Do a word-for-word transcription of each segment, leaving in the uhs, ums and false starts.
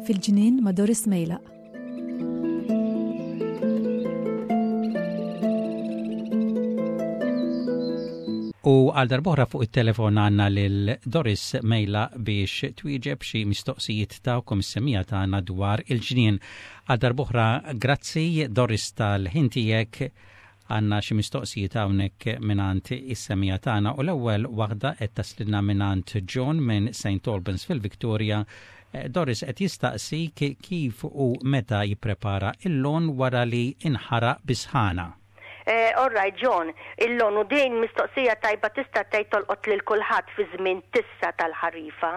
Fil-ġnien ma' Doris Mejlaq. U għal darb'oħra fuq it-telefon għandna lil Doris Mejlaq biex twieġeb xi mistoqsijiet tagħkom is-semmiegħa tagħna dwar il-ġnien. Għal darb'oħra grazzi, Doris, tal-ħin tiegħek. Għandna xi mistoqsijiet hawnhekk mingħand is-semmiegħa tagħna u l-ewwel waħda qed taslilna mingħand John minn Saint Albans fil-Victoria. Eh, Doris, qed jistaqsi kif u meta jipprepara il-lawn wara li inħaraq bis-sħana. Eh, all right, John, il-lawn, u din mistoqsija tajba, tista' tgħid tolqot lil kulħadd fi żmien tissa tal-ħarifa.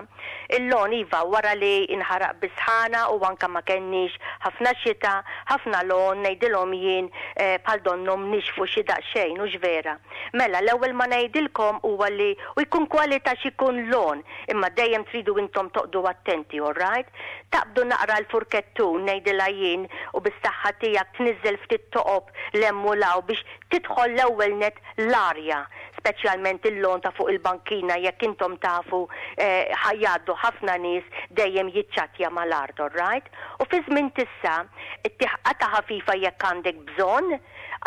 Il-lawn, iva, wara li inħaraq bis-sħana u anka ma kenniex ħafna xita, ħafna lawn, ngħidilhom jien, eh, bħal donnhom nixfu xi daqsxejn, hux vera? Mela, l-ewwel ma ngħidilkom huwa li u jkun kwalità x'ikun lawn, imma dejjem tridu intom toqdu attenti, all right? Taqbdu naqra l-furkettun, ngħidilha jien, u bis-saħħa tiegħek tniżel ftit toqob 'l hemm u 'l hawn biex tidħol l-ewwel net l-arja, speċjalment il-lawn ta' fuq il-bankina, jekk intom tafu eh, ħa jgħaddu ħafna nies, dejjem jiċċattja mal-art, right? U fi żmien tissa, ta' ħafifa jekk għandek bżonn,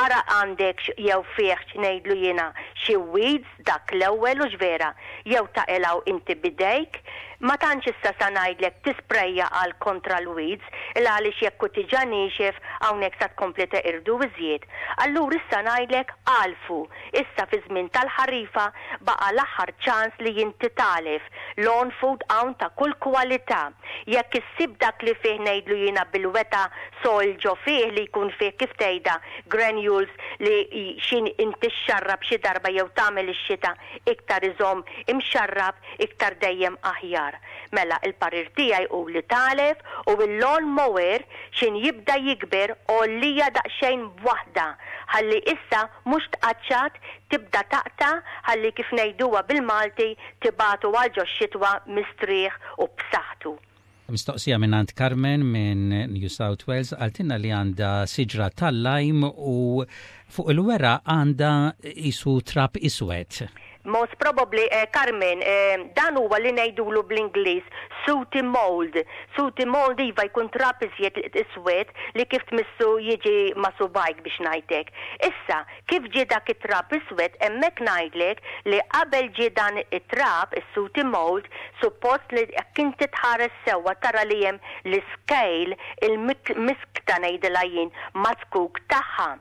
ara għandek jew fih, ngħidlu jiena, xi weeds, dak l-ewwel, hux vera, jew taqilgħu inti bidejk? Ma tantx issa sa ngħidlek tisprejja għal kontra l-weeds, il għaliex jekk hu diġà niexef, hawnhekk sa tkompli teqirdu iżjed. Allura issa ngħidlek għalfu. Issa fi żmien tal-ħarifa baqa' l-aħħar ċans li inti tagħlef. Lawn food hawn ta' kull kwalità. Jekk issib dak li fih, ngħidlu jiena, bil-weta soil ġo fih, li jkun fih, kif tgħidha, granules, li xin inti xxarrab xi darba jew tagħmel ix-xita iktar iżomm imxarrab iktar, dejjem aħjar. Mela, il-parir tiegħi hu li tagħlef, u il-lawn mower xin jibda jikber għollija daqsxejn b'waħda, ħalli issa mhux tqaċċat, tibda taqta', ħalli, kif ngħiduha bil-Malti, tibagħtu għal ġo xitwa mistrieħ u b'saħħtu. Mistoqsija minn Carmen minn New South Wales, qaltilna li għandha siġra tal-lime u fuq il-weraq għandha qisu trab iswed. Most probably, eh, Carmen, eh, dan huwa li ngħidulu bl-Ingliż sooty mold. Sooty mold, iva, jkun trab iżjed iswed li kif tmissu jiġi ma' subgħajk, biex ngħidlek. Issa, kif ġie dak it-trab iswed hemmhekk, ngħidlek li qabel ġie dan it-trab, is-sooty mold, suppost li jekk inti tħares sewwa tara li hemm l-scale, il-miskta, ngħidilha jien, maz-zkuk tagħha.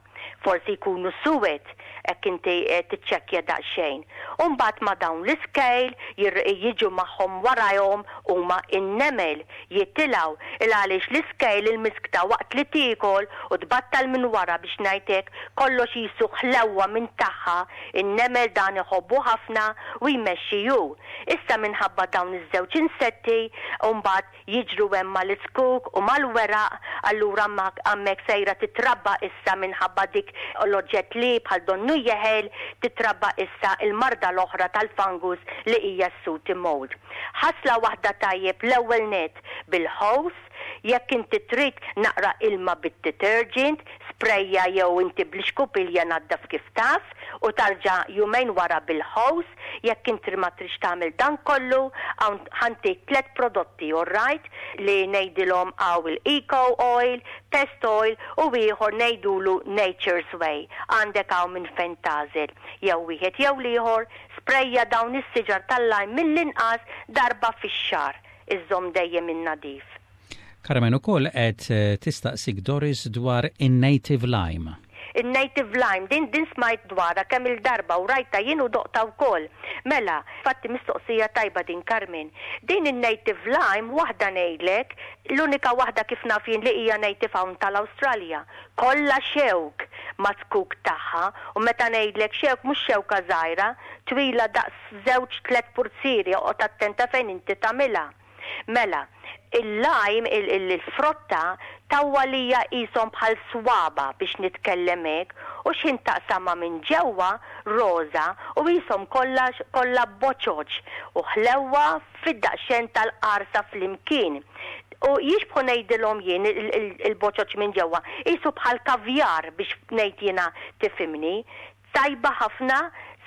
Forsi jkunu suwed hekk inti eh, tiċċekkja daqsxejn. Umbagħad ma' dawn l-scale jiġu magħhom warajhom huma in-nemel jitilgħu, il għaliex l-scale, il-miskta, waqt li tiekol u tbattal minn wara, biex ngħidlek, kollox qisu ħlewwa minn tagħha, in-nemel dan iħobbu ħafna u jmexxi ju. Issa minħabba dawn iż-żewġ insetti mbagħad jiġru hemm mal-iskuk u mal-weraq, allura hemmhekk sejra titrabba issa, minħabba dik l-oġġett li bħal donnu jeħel, titrabba issa il-marda l-oħra tal-fungus li hija s-sooty mold. Ħasla waħda tajjeb l-ewwel net bil-hose, jekk inti trid naqra ilma bit-detergent, sprejja jew inti bl-iskupilja naddaf kif taf u tarġa' jumejn wara bil-hose. Jekk inti ma trix tagħmel dan kollu, ħa ntik tliet prodotti, all right, li ngħidilhom hawn il-Eco Oil, Pest Oil u ieħor ngħidulu Nature's Way. Għandek hawn minn fejn tagħżel. Jew wieħed jew l-ieħor, sprejja dawn is-siġar tal-lime mill-inqas darba fix-xahar. Iżżomm dejjem in-nadif. Carmen ukoll qed eh, tistaqsik, Doris, dwar in-native lime. Il-native lime, din din smajt dwarha kemm il-darba u rajta jien u doqtha wkoll. Mela, fatti mistoqsija tajba din, Carmen. Din il-native lime, waħda ngħidlek, l-unika waħda kif naf jien li hija native hawn tal-Awstralja. Kollha xewk maz-zkuk tagħha, u meta ngħidlek xewk, mhux xewka żgħira, twila daqs żewġ tliet purzieri, oqgħod attenta fejn inti tagħmilha. Mela, il-lime, il-frotta, tawwalija qishom bħal swaba, biex nitkellem hekk, u x'ħin taqsama minn ġewwa roża u qishom kollha kollha boċoċ u ħlewwa fid-daqsxejn tal-qarsa flimkien. U jixbħu, ngħidilhom jien, il-boċoċ minn ġewwa, qisu bħal kavjar, biex ngħid jiena tifhimni. Tajba ħafna,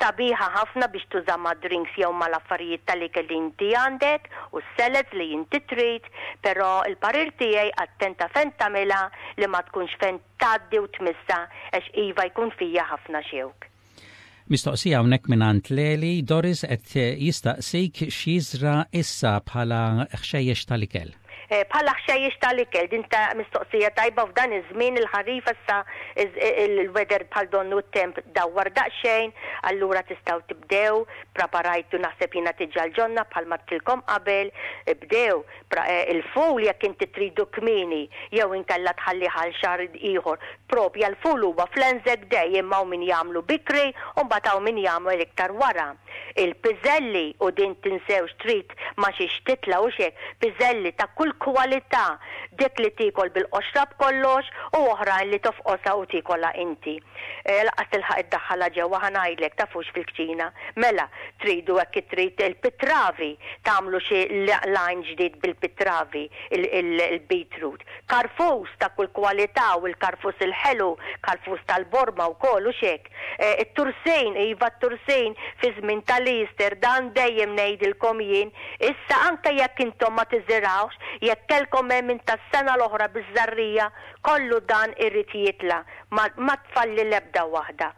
sabiħa ħafna biex tuża ma' drinks jew ma' l-affarijiet tal-ikel li inti għandek u s-salads li inti trid, però il-parir tiegħi, attenta fejn tagħmilha, li ma tkunx fejn tgħaddi u tmissa, għax iva jkun fija ħafna xewk. Mistoqsija hawnhekk minn Leli. Doris, qed jistaqsik x'jiżra issa bħala ħxejjex tal-ikel. Eh, bħala ħxejjex tal-ikel, din ta' mistoqsija tajba. F'dan iż-żmien il-ħarifa issa il-weather bħal donnu t-temp dawwar daqsxejn, allura tistgħu tibdew, preparajtu naħseb jiena diġà l-ġonna bħal għedtilkom qabel, bdew eh, il-ful jekk inti tridu kmieni jew inkella tħalli għal xahar ieħor. Propja l-ful huwa fl-Anzac Day, imma min jagħmlu bikri u mbagħad hawn min jagħmel iktar wara. Il-piżelli, u din tinsewx, trid ma xiex titla' u xek, piżelli ta' kull kwalità, dik li tikol bil-qoxra b'kollox u oħrajn li tofqosha u tikola inti. E, Lanqas tilħaq iddaħħala ġewwa, ħa ngħidlek, tafux fil-kċina. Mela, tridu hekk trid il-pitravi, tagħmlu xi line ġdid bil-pitravi, il-beetroot. Karfus ta' kull kwalità, u l-karfus il-ħelu, karfus tal-borma u kollu xek. E, it-tursin, iva, t-tursin fi żmien tal-Easter, dan dejjem ngħidilkom jien. Issa anke jekk intom ma tiżirawx, jekk kellkom hemm minn tas-sena l-oħra biż-żarrija, kollu dan irid jitla', ma, ma tfalli l-ebda waħda.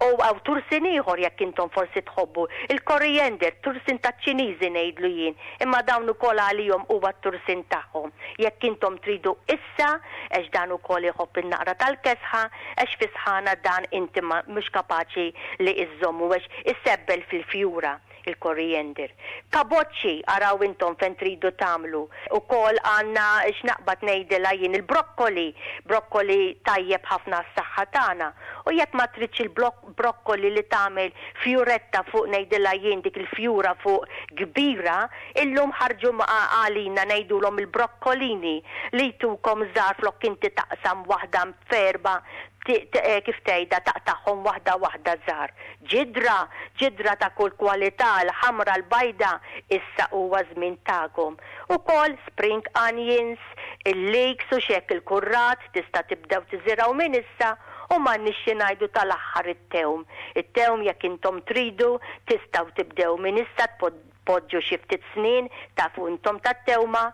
U hawn tursin ieħor jekk intom forsi tħobbu. Il-coriander, tursin ta' Ċiniżi ngħidlu jien, imma dawn ukoll għalihom huwa t-tursin tagħhom. Jekk intom tridu issa, għax dan ukoll iħobb in-naqra tal-kesħa, għax fi sħana dan inti mhux kapaċi li iżommu għax issebbel fil-fjura il-coriander. Kaboċċi, araw intom fejn tridu tagħmlu. Ukoll għandna, x'naqbad ngħidilha jien, il-brokkoli, brokkoli tajjeb ħafna s-saħħa tagħna. U jekk ma tridx il-brokkoli li tagħmel fjuretta fuq, ngħidilha jien, dik il-fjura fuq kbira, illum ħarġu għalina ngħidulhom il-brokkolini li jtukom żgħar, flok inti taqsam waħda f'erba', eh, kif tgħidha, taqtagħhom waħda waħda żgħar. Ġidra, ġidra ta' kull kwalità, l-ħamra, l-bajda, issa huwa żmien tagħkom. Ukoll spring onions, il-leeks u xek, il-kurrat, tista' tibdew tiżiraw minn issa, u ma nixxi ngħidu tal-aħħar it-tewm. It-tewm jekk intom tridu tistgħu tibdew minn issa poġġu xi ftit snin, tafu intom tat-tewma.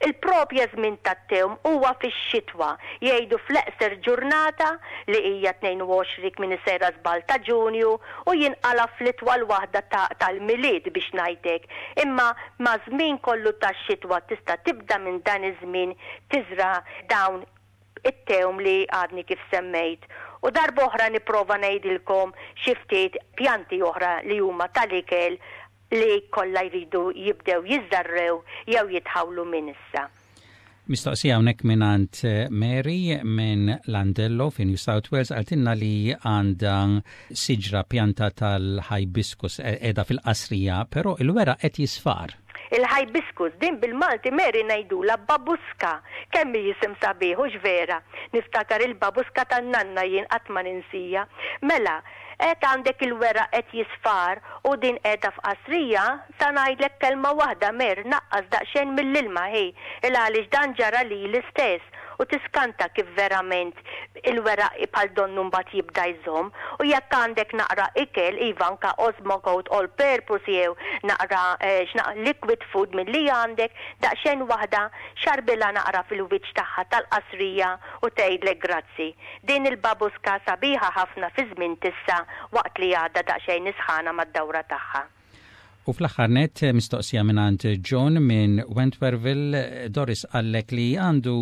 Il-propja żmien tat-tewm huwa fix-xitwa. Jgħidu fl-eqser ġurnata li hija tnejn u għoxrin minn sejra żball ta' Ġunju u jinqala fl-itwal waħda tal-Milied, biex ngħidlek. Imma ma' żmien kollu tax-xitwa tista' tibda minn dan iż-żmien tiżra dawn it-tewm li għadni kif semmejt. U darba oħra nipprova ngħidilkom xi ftit pjanti oħra li huma tal-ikel li kollha jridu jibdew jiżarrew jew jitħawlu minn issa. Mistoqsija hawnhekk mingħand eh, Mary minn Landello fi New South Wales. Qaltilna li għandha siġra, pjanta tal-hibiscus qiegħda fil-qasrija, però il-weraq qed jisfar. Il-hibiscus din bil-Malti, Mary, ngħidula babuska. Kemm jisim sabiħ, hux vera? Niftakar il-babuska tan-nanna jien, qatt ma ninsija. Mela, qed għandek il-weraq qed jisfar u din qiegħda f'qasrija, sa ngħidlek kelma waħda, Mer, naqqas daqsxejn mill-ilma ħi, il għaliex dan ġara li l-istess u tiskanta kif verament il-weraq bħal donnu mbagħad jibda jżomm. U jekk għandek naqra ikel, iva, anka Osmocote all purpose jew naqra eh, liquid food mill-li għandek, daqsxejn waħda xarbilha naqra fil-wiċċ tagħha tal-qasrija u tgħidlek grazzi. Din il-babuska sabiħa ħafna fi żmien tissa waqt li għadha daqsxejn isħana mad-dawra tagħha. U fl-aħħar net mistoqsija minn John minn Wentworthville. Doris, qallek li għandu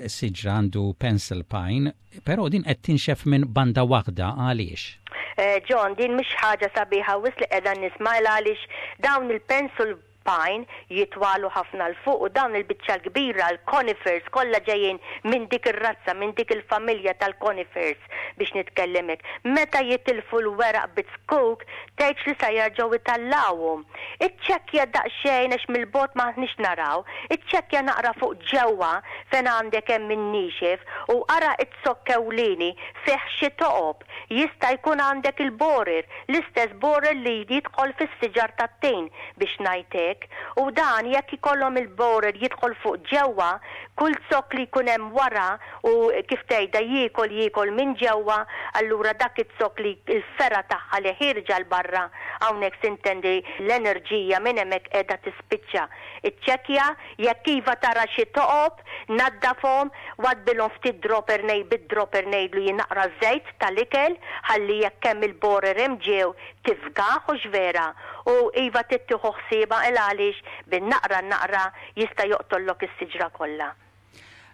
siġra, għandu pencil pine, però din qed tinxef minn banda waħda, għaliex? Eh, John, din mhix ħaġa sabiħa wisq li qiegħda nisma', għaliex dawn il-pencil pine jitwalu ħafna 'l fuq u dawn il-biċċa kbira l-conifers kollha ġejjin minn dik ir-razza, minn dik il-familja tal-conifers, biex nitkellemek. Meta jitilfu l-weraq bit-skuk, tgħidx li sa jerġgħu itallawhom. Iċċekkja daqsxejn, għax mill-bogħod m'aħniex naraw, iċċekkja naqra fuq ġewwa fejn għandek hemm min-nixef u ara it-zokk ewlieni fih xi toqob. Jista' jkun għandek il-borer, l-istess borer li jidħol fis-siġar tat-tin, biex ngħidlek. hemmhekk, u dan jekk ikollhom il-borer jidħol fuq ġewwa, kull zokk li jkun hemm wara u kif tgħidha jiekol jiekol minn ġewwa, allura dak iz-zokk li l-fergħa tagħha li ħierġa 'l barra, hawnhekk sintendi l-enerġija minn hemmhekk qiegħda tispiċċa. Iċċekkja jekk iva tara xi toqob, naddafhom, waddbilhom ftit dropper nej bid-dropper ngħidlu jinaqra żejt tal-ikel ħalli jekk hemm il-borer hemm ġew tifgaħ u vera u iva tittieħu ħsieba il għaliex bin-naqra naqra jista' joqtollok is-siġra kollha.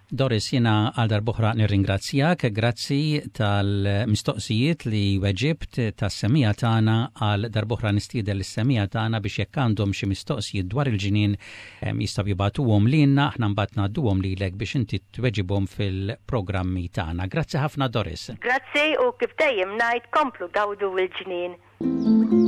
Doris, jiena għal darb'oħra nirringrazzjak, grazzi tal-mistoqsijiet li weġibt tas-semmiegħa tagħna. Għal darb'oħra nistieden lis-semmiegħa tagħna biex jekk għandhom xi mistoqsijiet dwar il-ġnien jistgħu jibagħtuhom lilna, aħna mbagħad ngħadduhom lilek biex inti tweġibhom fil-programmi tagħna. Grazzi ħafna, Doris. Grazzi, u kif dejjem ngħid, komplu gawdu l-ġnien.